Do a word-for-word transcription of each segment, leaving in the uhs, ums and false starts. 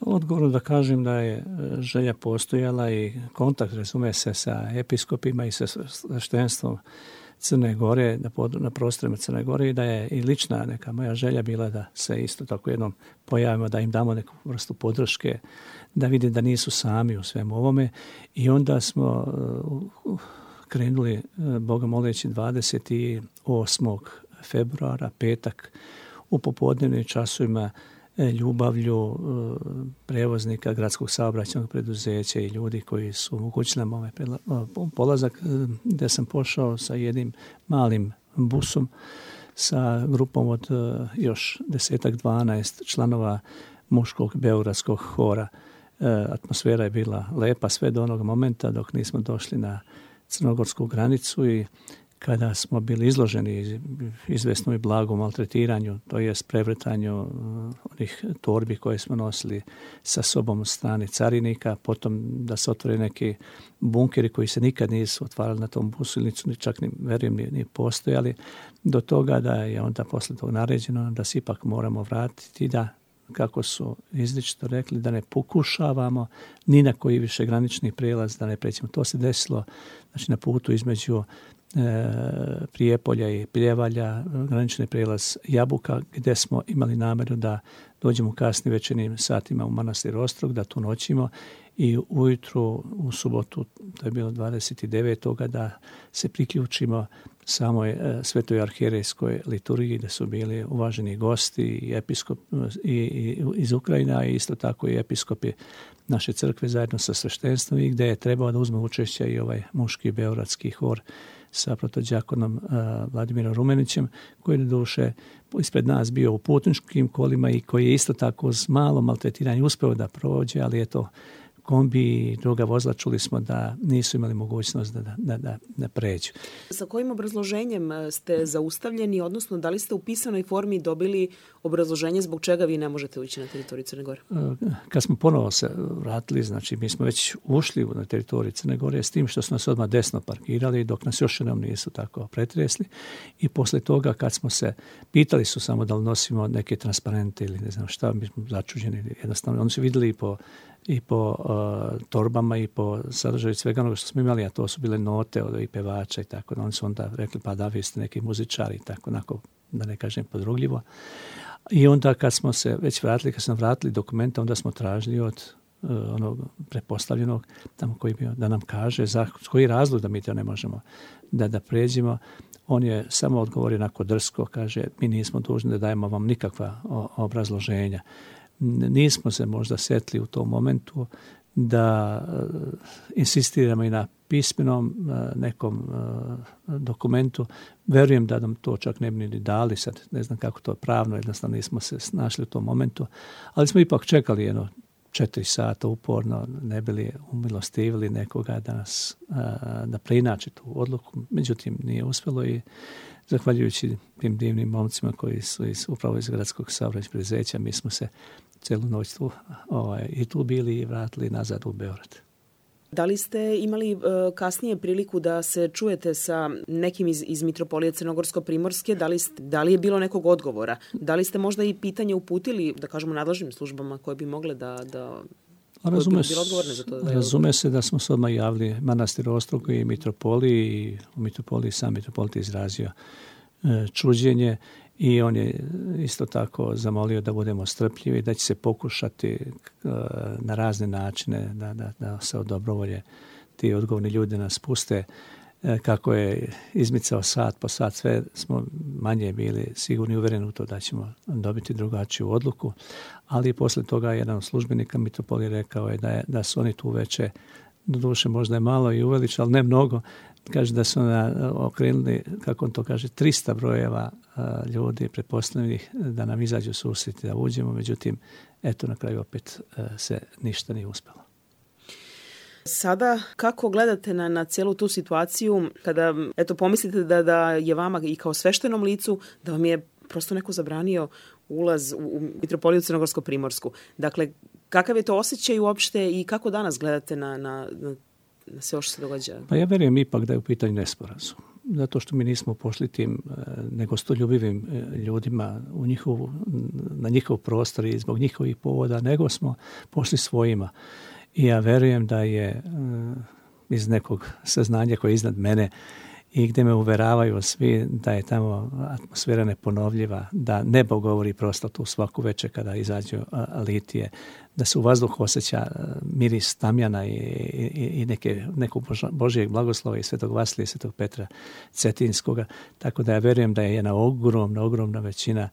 Odgovorno da kažem da je želja postojala i kontakt, razume se, sa episkopima i sa sveštenstvom Crne Gore, na, pod, na prostorima Crne Gore, i da je i lična neka moja želja bila da se isto tako jednom pojavimo, da im damo neku vrstu podrške, da vide da nisu sami u svemu ovome. I onda smo uh, krenuli, uh, Boga moleći, dvadeset osmog februara, petak, u popodnevnim časovima ljubavlju prevoznika gradskog saobraćajnog preduzeća i ljudi koji su omogućili nam ovaj polazak, gdje sam pošao sa jednim malim busom sa grupom od još desetak, dvanaest članova muškog beogradskog hora. Atmosfera je bila lepa sve do onog momenta dok nismo došli na crnogorsku granicu i kada smo bili izloženi izvesnom i blagom maltretiranju, to jest prevrtanju onih torbi koje smo nosili sa sobom od strane carinika, potom da se otvore neki bunkeri koji se nikad nisu otvarali na tom busu ili nisu čak ni, verujem, ni, ni postojali, do toga da je onda posle toga naređeno da se ipak moramo vratiti, da, kako su izričito rekli, da ne pokušavamo ni na koji više granični prijelaz da ne prećemo. To se desilo, znači, na putu između E, Prijepolja i Pljevalja, granični prijelaz Jabuka, gdje smo imali namjeru da dođemo u kasnim večernjim satima u manastir Ostrog, da tu noćimo i ujutru u subotu, to je bilo dvadeset devetog da se priključimo samoj e, svetoj arhijerejskoj liturgiji, da su bili uvaženi gosti i episkop i, i, iz Ukrajina i isto tako i episkopi naše crkve zajedno sa sveštenstvom, i gdje je trebao da uzme učešće i ovaj muški beogradski hor sa protodjakonom uh, Vladimirom Rumenićem, koji je duše ispred nas bio u putničkim kolima i koji je isto tako s malo maltretiranja uspeo da prođe, ali je to kombi i druga vozila, čuli smo da nisu imali mogućnost da, da, da, da pređu. Sa kojim obrazloženjem ste zaustavljeni, odnosno da li ste u pisanoj formi dobili obrazloženje zbog čega vi ne možete ući na teritoriju Crne Gore? Kad smo ponovo se vratili, znači mi smo već ušli na teritoriju Crne Gore s tim što smo nas odmah desno parkirali, dok nas još jednom nisu tako pretresli, i posle toga kad smo se pitali su samo da li nosimo neke transparente ili ne znam šta, mi smo začuđeni, jednostavno oni su vidjeli i po i po uh, torbama i po sadržaju svega onoga što smo imali, a to su bile note od i pevača i tako. Oni su onda rekli, pa da, vi ste neki muzičari i tako, onako, da ne kažem podrugljivo. I onda kad smo se već vratili, kad smo vratili dokumenta, onda smo tražili od uh, onog prepostavljenog tamo koji bio da nam kaže za koji razlog da mi to ne možemo da, da pređemo. On je samo odgovorio onako drsko, kaže, mi nismo dužni da dajemo vam nikakva o, obrazloženja. Nismo se možda setili u tom momentu da uh, insistiramo i na pismenom uh, nekom uh, dokumentu. Verujem da nam to čak ne bi ni dali, sad ne znam kako to pravno, jednostavno nismo se našli u tom momentu, ali smo ipak čekali jedno četiri sata uporno, ne bili umilostivili nekoga da nas uh, da preinači tu odluku. Međutim, nije uspjelo i zahvaljujući tim divnim momcima koji su iz, upravo iz gradskog saobraćajnog preduzeća, mi smo se celu noć tu, ovaj, i tu bili i vratili nazad u Beograd. Da li ste imali uh, kasnije priliku da se čujete sa nekim iz, iz Mitropolije Crnogorsko-Primorske? Da li, ste, da li je bilo nekog odgovora? Da li ste možda i pitanje uputili, da kažemo, nadležnim službama koje bi mogle da... da Razume, za to da razume se da smo se odmah javili manastir Ostrog i Mitropoliji, i u Mitropoliji sam mitropolit izrazio e, čuđenje, i on je isto tako zamolio da budemo strpljivi, da će se pokušati e, na razne načine da, da, da se od dobrovolje ti odgovorni ljudi nas puste. E, kako je izmicao sat po sat, sve smo manje bili sigurni, uvjereni u to da ćemo dobiti drugačiju odluku, ali posle toga jedan od službenika Mitropolije rekao je da, je da su oni tu veće, doduše možda je malo i uveličali, ali ne mnogo, kaže da su na, okrenuli, kako on to kaže, trista brojeva a, ljudi pretpostavljenih da nam izađu susreti, da uđemo, međutim, eto na kraju opet a, se ništa nije uspjelo. Sada, kako gledate na, na cijelu tu situaciju kada, eto, pomislite da, da je vama i kao sveštenom licu, da vam je prosto neko zabranio ulaz u, u Mitropoliju Crnogorsko-Primorsku. Dakle, kakav je to osjećaj uopšte i kako danas gledate na, na, na, na sve što se događa? Pa ja verujem ipak da je u pitanju nesporazum. zato što mi nismo pošli tim negostoljubivim ljudima u njihovu, na njihov prostor i zbog njihovih povoda, nego smo pošli svojima. I ja verujem da je iz nekog saznanja koje je iznad mene i gdje me uveravaju svi da je tamo atmosfera neponovljiva, da nebo govori prosto tu svaku večer kada izađu litije, da se u vazduhu osjeća miris tamjana i, i, i neke, nekog Božijeg blagoslova i Svetog Vasilija i Svetog Petra Cetinskoga. Tako da ja verujem da je jedna ogromna, ogromna većina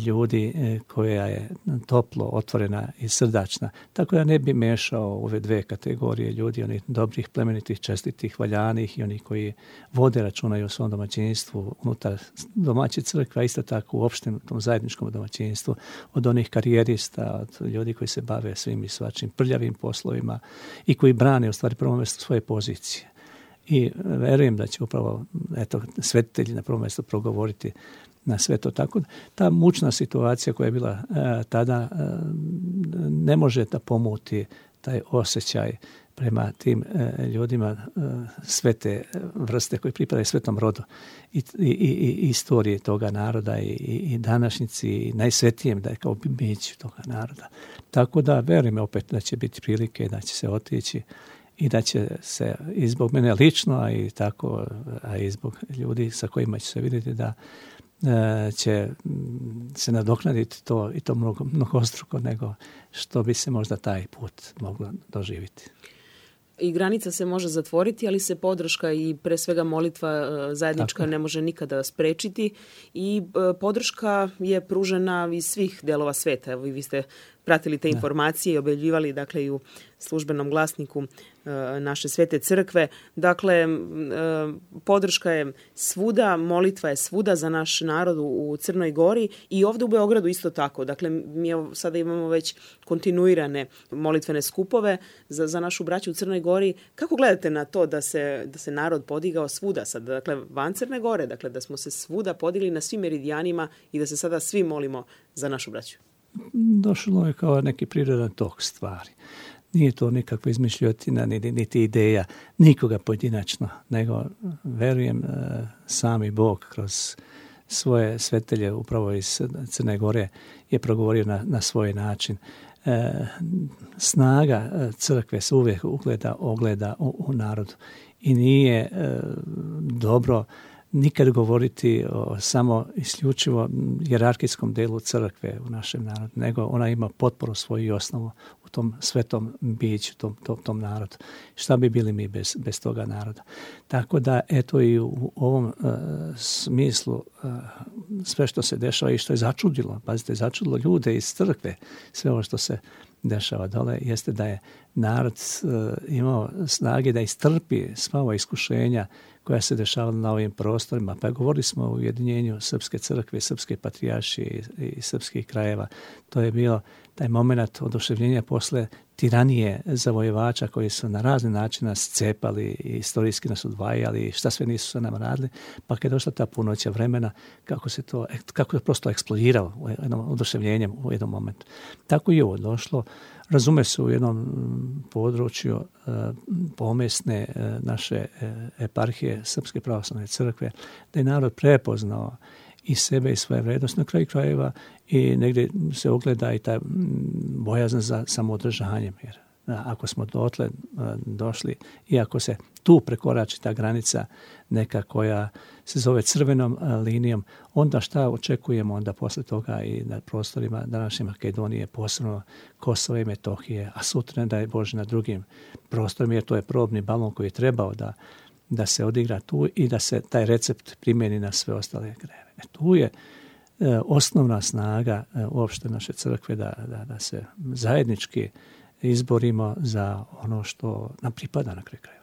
ljudi koja je toplo, otvorena i srdačna. Tako da ne bi mešao ove dve kategorije ljudi, onih dobrih, plemenitih, čestitih, valjanih i onih koji vode računa o svom domaćinstvu unutar domaće crkve, a isto tako u opštem tom zajedničkom domaćinstvu, od onih karijerista, od ljudi koji se bave svim i svačim prljavim poslovima i koji brane u stvari prvo mjesto svoje pozicije. I verujem da će upravo eto, svetitelji na prvom mjestu progovoriti na sve to. Tako ta mučna situacija koja je bila e, tada e, ne može da pomuti taj osjećaj prema tim e, ljudima e, svete vrste koji pripadaju svetom rodu i, i, i istorije toga naroda i, i današnjici i najsvetijem da je kao biću toga naroda. Tako da verujem opet da će biti prilike da će se otići i da će se i zbog mene lično, a i tako, a i zbog ljudi sa kojima će se vidjeti da će se nadoknaditi to i to mnogo, mnogostruko nego što bi se možda taj put moglo doživjeti. I granica se može zatvoriti, ali se podrška i pre svega molitva zajednička Tako. ne može nikada sprečiti i podrška je pružena iz svih delova sveta. Evo i vi ste pratili te informacije i objavljivali dakle i u službenom glasniku naše svete crkve. Dakle, podrška je svuda, molitva je svuda za naš narod u Crnoj Gori i ovdje u Beogradu isto tako. Dakle, mi sada imamo već kontinuirane molitvene skupove za, za našu braću u Crnoj Gori. Kako gledate na to da se, da se narod podigao svuda sad, dakle, van Crne Gore, dakle, da smo se svuda podigli na svim meridijanima i da se sada svi molimo za našu braću? Došlo je kao neki prirodan tok stvari. Nije to nikakva izmišljotina, niti ideja nikoga pojedinačno, nego verujem sami Bog kroz svoje svetelje upravo iz Crne Gore je progovorio na, na svoj način. E, snaga crkve se uvijek ugleda, ogleda u, u narodu i nije e, dobro nikad govoriti o samo isključivo hijerarhijskom delu crkve u našem narodu, nego ona ima potporu svoju i osnovu u tom svetom biću, tom, tom, tom narodu. Šta bi bili mi bez, bez toga naroda? Tako da, eto i u ovom uh, smislu uh, sve što se dešava i što je začudilo, pazite, začudilo ljude iz crkve, sve ovo što se dešava dole, jeste da je narod uh, imao snage da istrpi sva ova iskušenja koja se dešavala na ovim prostorima. Pa govorili smo o ujedinjenju Srpske crkve, Srpske patrijaršije i, i srpskih krajeva. To je bio taj moment oduševljenja posle tiranije zavojevača koji su na razne načine scepali i istorijski nas odvajali i šta sve nisu sa nama radili. Pa kad je došla ta punoća vremena, kako se to, kako je prosto eksplodiralo u jednom oduševljenjem u jednom momentu. Tako i ovo došlo. Razume se u jednom području uh, pomesne uh, naše uh, eparhije Srpske pravoslavne crkve, da je narod prepoznao i sebe i svoje vrednosti na kraju krajeva i negdje se ogleda i ta bojazna za samoodržanjem. Jer ako smo dotle došli i ako se tu prekorači ta granica neka koja se zove crvenom linijom, onda šta očekujemo onda posle toga i na prostorima današnje Makedonije, posebno Kosova i Metohije, a sutra da je Bože na drugim prostorima, jer to je probni balon koji je trebao da, da se odigra tu i da se taj recept primjeni na sve ostale krajeve. E, tu je e, osnovna snaga e, uopšte naše crkve da, da, da se zajednički izborimo za ono što nam pripada na kraju krajeva.